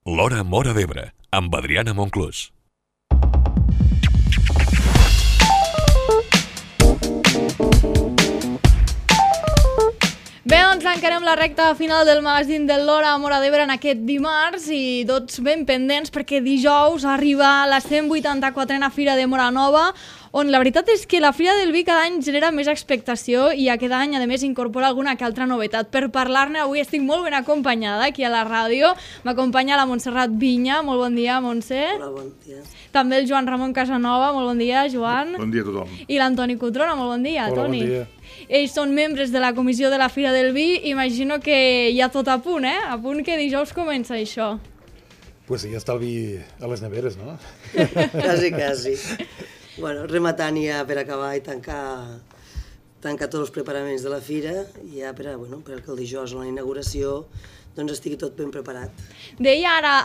L'Hora Móra d'Ebre, amb Adriana Monclús. Bé, doncs encarem la recta final del magazín de l'Hora Móra d'Ebre en aquest dimarts i tots ben pendents perquè dijous arriba la 184a Fira de Móra Nova, on la veritat és que la Fira del Vi cada any genera més expectació i aquest any, a més, incorpora alguna que altra novetat. Per parlar-ne, avui estic molt ben acompanyada aquí a la ràdio. M'acompanya la Montserrat Vinya. Molt bon dia, Montse. Hola, bon dia. També el Joan Ramon Casanova. Molt bon dia, Joan. Bon dia a tothom. I l'Antoni Cotrona. Molt bon dia, Hola, Toni. bon dia. Ells són membres de la comissió de la Fira del Vi. Imagino que ja tot a punt, eh? A punt que dijous comença això. Pues sí, ja està el vi a les neveres, no? Quasi. Bueno, rematant ja per acabar i tancar tots els preparaments de la fira i ja perquè el dijous a la inauguració doncs estigui tot ben preparat. Deia ara,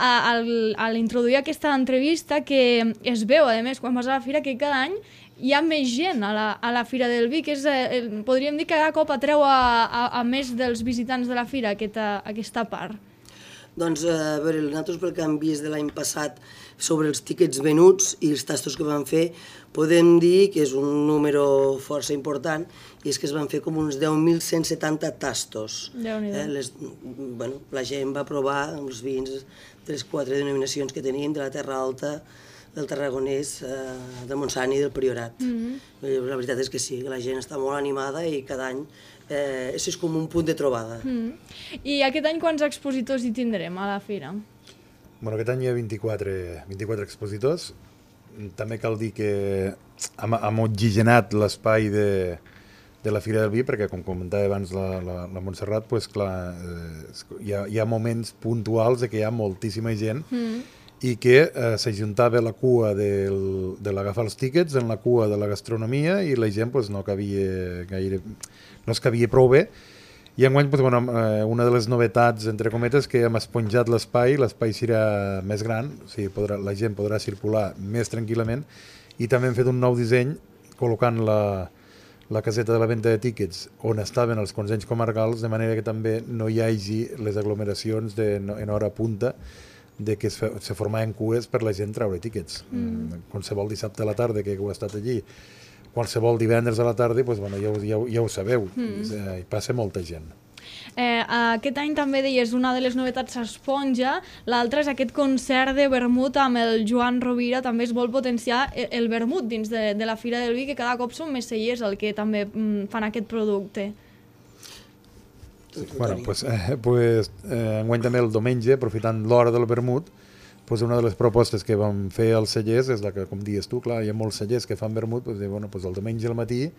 al introduir aquesta entrevista, que es veu, a més, quan vas a la fira, que cada any hi ha més gent a la Fira del Vi, que és, podríem dir que cada cop atreu a més dels visitants de la fira aquesta part. Doncs, a veure, nosaltres pel que hem vist de l'any passat sobre els tíquets venuts i els tastos que van fer, podem dir que és un número força important i és que es van fer com uns 10.170 tastos. Déu-n'hi-do. La gent va provar els vins de les 4 denominacions que tenim, de la Terra Alta, del Tarragonès, del Montsant i del Priorat. La veritat és que sí, la gent està molt animada i cada any és com un punt de trobada. I aquest any quants expositors hi tindrem a la fira? Bueno, aquest any hi ha 24 expositors. També cal dir que hem oxigenat l'espai de la Fira del Vi, perquè, com comentava abans la Montserrat, pues, clar, hi ha moments puntuals de que hi ha moltíssima gent i que s'ajuntava la cua de l'agafar els tíquets en la cua de la gastronomia i la gent pues, no es cabia prou bé. I enguany pues, una de les novetats, entre cometes, que hem esponjat l'espai serà més gran, o sigui, la gent podrà circular més tranquil·lament i també hem fet un nou disseny col·locant la caseta de la venda de tíquets on estaven els consells comarcals, de manera que també no hi hagi les aglomeracions en hora punta de que se formaven cues per la gent treure tíquets. Qualsevol dissabte a la tarda que heu estat allí, qualsevol divendres a la tarda, pues, ja ho sabeu, hi passa molta gent. Aquest any també deies, una de les novetats s'esponja, l'altra és aquest concert de vermut amb el Joan Rovira. També es vol potenciar el vermut dins de la Fira del Vi, que cada cop són més cellers el que també fan aquest producte. Bueno, enguany també el diumenge, aprofitant l'hora del vermut, una de les propostes que vam fer als cellers és la que, com dius tu, clar, hi ha molts cellers que fan vermut, el diumenge al matí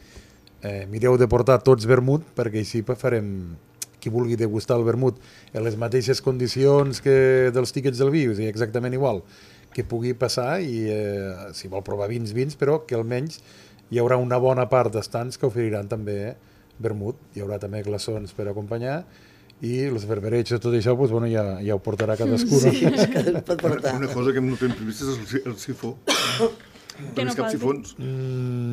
mireu de portar tots vermut perquè així farem, qui vulgui degustar el vermut en les mateixes condicions que dels tíquets del vi, o sigui, exactament igual, que pugui passar i si vol provar vins, però que almenys hi haurà una bona part d'estants que oferiran també vermut, hi haurà també glaçons per acompanyar i els verberets i tot això ja ho portarà cadascú. Sí, cadascú pot portar. Una cosa que no tenim previst és el sifó. Que no cap sifons.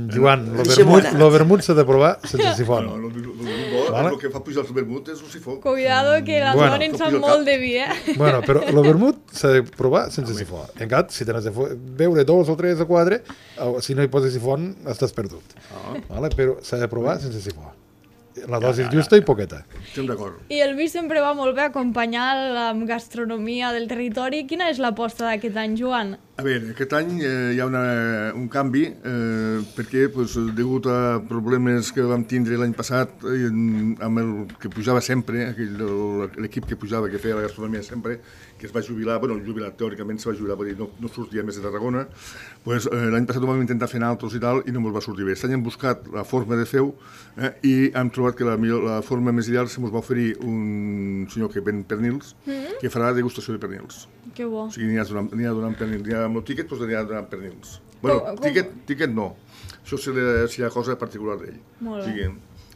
Joan, el vermut s'ha de provar sense sifó. El que fa pujar el vermut és un sifó. Cuidado que la dona en sap molt de vi, Bueno, però el vermut s'ha de provar sense sifó. En canvi, si tens de beure 2 o 3 o 4, si no hi poses sifó, estàs perdut. Però s'ha de provar sense sifó. La dosi justa i poqueta. Estem d'acord. I el vi sempre va molt bé acompanyar la gastronomia del territori. Quina és l'aposta d'aquest any, Joan? A veure, aquest any hi ha un canvi perquè, degut a problemes que vam tindre l'any passat amb el que pujava sempre, l'equip que pujava, que feia la gastronomia sempre, que es va jubilar, teòricament se va jubilar, perquè no sortia més de Tarragona, l'any passat ho vam intentar fer altres i tal i no ens va sortir bé. Aquest any hem buscat la forma de fer-ho i hem trobat que la forma més ideal se ens va oferir un senyor que ven pernils, que farà degustació de pernils. Que bo. O sigui, n'hi ha donant pernils, amb el tíquet n'hi ha donant pernils. Bueno, tíquet no. Això serà cosa particular d'ell. Molt bé.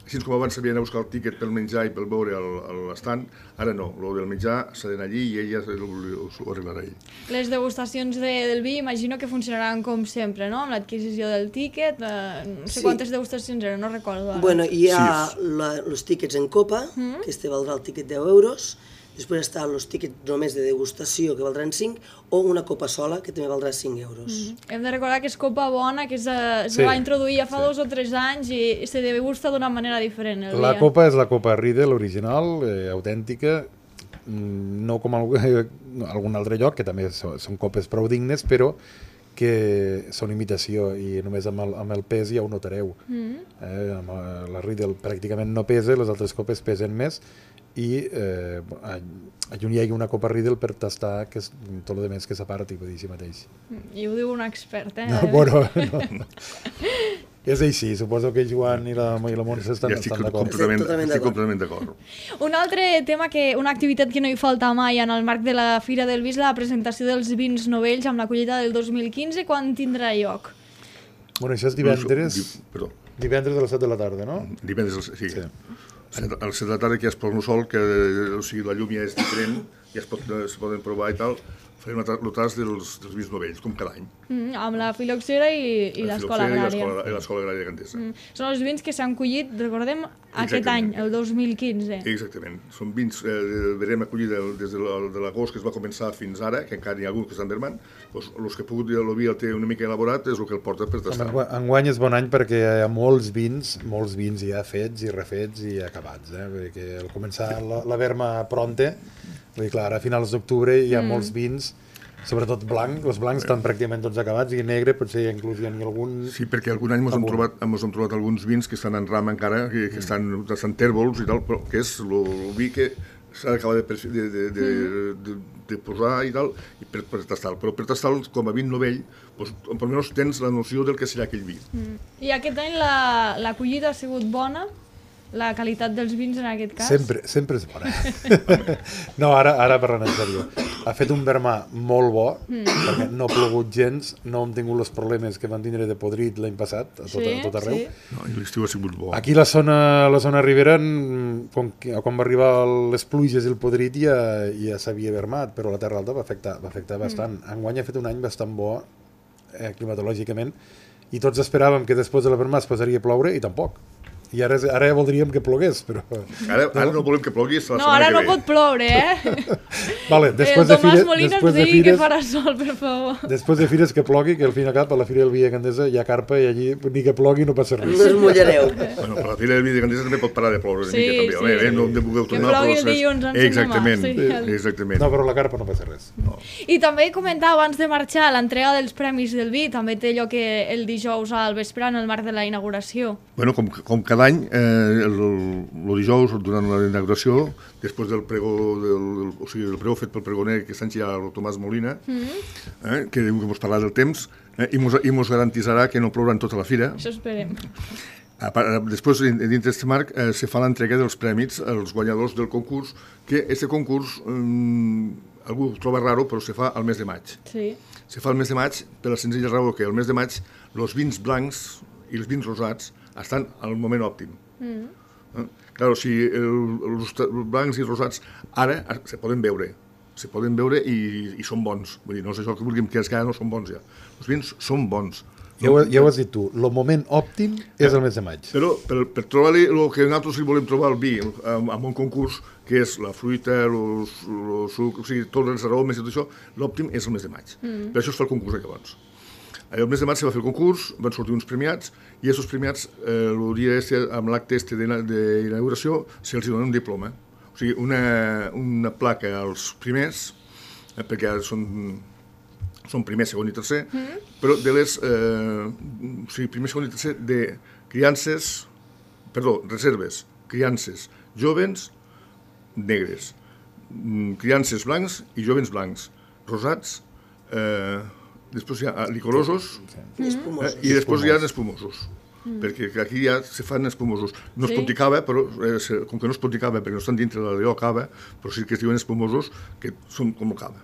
Així com abans s'havia d'anar a buscar el tíquet pel menjar i pel beure a l'estant, ara no. El del menjar s'ha d'anar allí i ell ja ho arreglarà ell. Les degustacions del vi imagino que funcionaran com sempre, no? Amb l'adquisició del tíquet, no sé quantes degustacions eren, no recordo ara. Bueno, hi ha els tíquets en copa, que este valdrà el tíquet 10 euros, Després estan els tíquets només de degustació, que valdran 5, o una copa sola, que també valdrà 5 euros. Hem de recordar que és copa bona, que se va introduir ja fa 2 o 3 anys i se degusta d'una manera diferent. La copa és la copa Riedel original, autèntica, no com algun altre lloc, que també són copes prou dignes, però que són imitació i només amb el pes ja ho notareu. La Riedel pràcticament no pesa, les altres copes pesen més i allà hi ha una copa Riedel per tastar que és tot el més que s'aparti, per dir així mateix. I ho diu un expert, eh? No, bueno, no. És així, suposo que Joan i la Montse estan d'acord. Estic completament d'acord. Un altre tema, una activitat que no hi falta mai en el marc de la Fira del Vi és la presentació dels vins novells amb la collita del 2015. Quan tindrà lloc? Bueno, això és divendres a les 7 de la tarda, no? Divendres, sí. A les 7 de la tarda que ja es posa un sol, que la llum ja és diferent, ja es poden provar i tal. Farem el tas dels vins novells, com cada any. Amb la filoxera i l'Escola Agrària. I l'Escola Agrària de Gandesa. Són els vins que s'han collit, recordem, aquest any, el 2015. Exactament. Són vins, verem acollir des de l'agost que es va començar fins ara, que encara n'hi ha algun que estan vermant, els que ha pogut el vi el té una mica elaborat és el que el porta per tastar. Enguany és bon any perquè hi ha molts vins ja fets i refets i acabats, perquè al començar la verma pronta, vull dir, clar, ara a finals d'octubre hi ha molts vins, sobretot blanc, els blancs estan pràcticament tots acabats i negre potser inclús hi ha algun... Sí, perquè algun any ens hem trobat alguns vins que estan en ram encara, que estan tèrbols i tal, però que és el vi que s'ha d'acabar de posar i tal, per tastar-lo. Però per tastar-lo, com a vin novell, almenys tens la noció del que serà aquell vi. I aquest any la collita ha sigut bona? La qualitat dels vins en aquest cas? Sempre és bona. No, ara parlant en sèrio. Ha fet un vermà molt bo, perquè no ha plogut gens, no hem tingut els problemes que van tindre de podrit l'any passat, a tot arreu. No, i l'estiu ha sigut bo. Aquí la zona ribera, quan va arribar les pluges i el podrit ja s'havia vermat, però la Terra Alta va afectar bastant. Enguany ha fet un any bastant bo, climatològicament, i tots esperàvem que després de la vermà es posaria a ploure, i tampoc. I ara ja voldríem que plogués, però... Ara no volem que plogui, la setmana que ve. No, ara no pot ploure, eh? Vale, després de Tomàs Molina ens digui que farà sol, per favor. Després de fires que plogui, que al fin i al cap a la Fira del Vi de Gandesa hi ha carpa i allí ni que plogui no passa res. No es mullareu. Bueno, però la Fira del Vi de Gandesa també pot parar de ploure una mica, també. Sí. No vulgueu tornar, que plogui el dilluns, exactament. No, però la carpa no passa res. I també comentar abans de marxar l'entrega dels Premis del Vi, també té lloc el dijous al vespre en el marc de la inauguració. Bueno, com cada any, el dijous, durant la inauguració, després del pregó, del pregó fet pel pregoner que està enxillat el Tomàs Molina, que diu que ens parlarà del temps, i ens garantitzarà que no plourà en tota la fira. Això esperem. Després, dintre d'aquest marc, se fa l'entrega dels prèmits als guanyadors del concurs, que aquest concurs, algú ho troba raro, però se fa al mes de maig. Sí. Se fa al mes de maig per la senzilla raó que al mes de maig els vins blancs i els vins rosats estan al moment òptim. Clar, o sigui, els blancs i rosats ara se poden beure i són bons. Vull dir, no és això que vulguem, que ara no són bons ja. Els vins són bons. Ja ho has dit tu, el moment òptim és el mes de maig. Però per trobar-li el que nosaltres li volem trobar al vi amb un concurs, que és la fruita, el suc, o sigui, tots els aromes i tot això, l'òptim és el mes de maig. Per això es fa el concurs de llavors. El mes de maig se va fer el concurs, van sortir uns premiats, i aquests premiats, el dia amb l'acte d'inauguració, se'ls dona un diploma. O sigui, una placa als primers, perquè ara són primer, segon i tercer, però de les... o sigui, primer, segon i tercer de reserves, criances joves negres, criances blancs i joves blancs, rosats, després hi ha licorosos i després hi ha espumosos, perquè aquí ja se fan espumosos. No es pot dir cava, però com que no es pot dir cava perquè no estan dintre de l'allò cava, però sí que es diuen espumosos, que són com cava.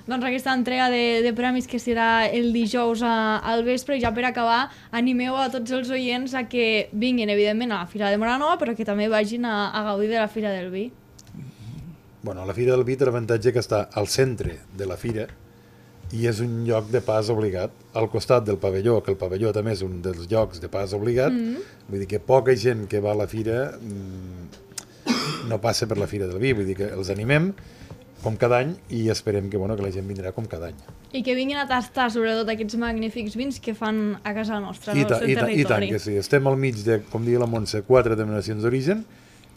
Doncs aquesta entrega de premis que serà el dijous al vespre, i ja per acabar, animeu a tots els oients a que vinguin, evidentment, a la Fira de Móra Nova, però que també vagin a gaudir de la Fira del Vi. Bueno, la Fira del Vi té l'avantatge que està al centre de la fira, i és un lloc de pas obligat, al costat del pavelló, que el pavelló també és un dels llocs de pas obligat, vull dir que poca gent que va a la fira no passa per la Fira del Vi, vull dir que els animem com cada any i esperem que, bueno, que la gent vindrà com cada any. I que vinguin a tastar sobretot aquests magnífics vins que fan a casa nostra, I al seu territori. I tant que sí, estem al mig de, com diu la Montse, 4 denominacions d'origen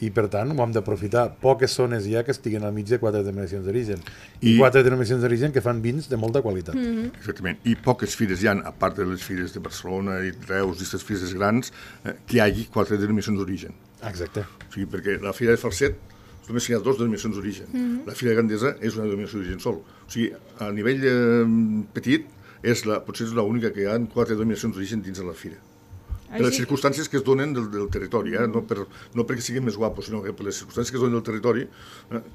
i per tant ho hem d'aprofitar. Poques zones hi ha que estiguen al mig de 4 denominacions d'origen i 4 denominacions d'origen que fan vins de molta qualitat. Exactament, i poques fires hi ha, a part de les fires de Barcelona i Reus i aquestes fires grans, que hi hagi 4 denominacions d'origen. Exacte. O sigui, perquè la Fira de Falset només hi ha 2 denominacions d'origen. La Fira de Gandesa és una denominació d'origen sol. O sigui, a nivell petit, potser és l'única que hi ha 4 denominacions d'origen dins de la fira. Per les circumstàncies que es donen del territori, no perquè siguin més guapos, sinó que per les circumstàncies que es donen del territori,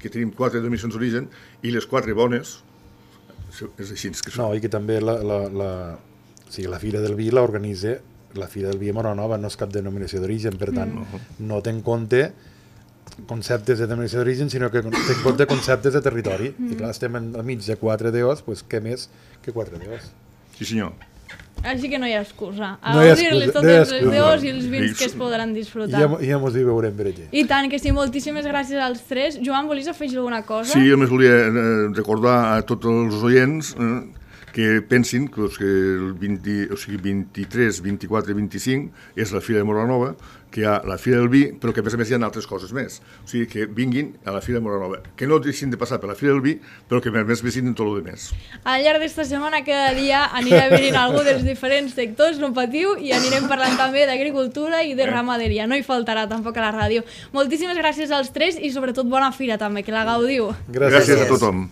que tenim 4 denominacions d'origen i les 4 bones, és així que són. No, i que també la Fira del Vi l'organitza, la Fira del Vi a Móra Nova no és cap denominació d'origen, per tant, no té en compte conceptes de denominació d'origen, sinó que té en compte conceptes de territori. I clar, estem al mig de 4 DOs, doncs què més que 4 DOs? Sí, senyor. Així que no hi ha excusa. A No hi ha gaudir-les excusa, totes no hi ha les excusa. deus i els vins que es podran disfrutar. Ja mos hi veurem per allí. I tant que sí, moltíssimes gràcies als tres. Joan, volies afegir alguna cosa? Sí, jo només volia recordar a tots els oients que pensin que el 23, 24 i 25 és la Fira de Móra Nova, que hi ha la Fira del Vi, però que a més hi ha altres coses més. O sigui, que vinguin a la Fira de Móra Nova. Que no deixin de passar per la Fira del Vi, però que a més visiten tot el més. Al llarg d'esta setmana, cada dia anirà venint algú dels diferents sectors, no patiu, i anirem parlant també d'agricultura i de ramaderia. No hi faltarà tampoc a la ràdio. Moltíssimes gràcies als tres i sobretot bona fira també, que la gaudiu. Gràcies a tothom.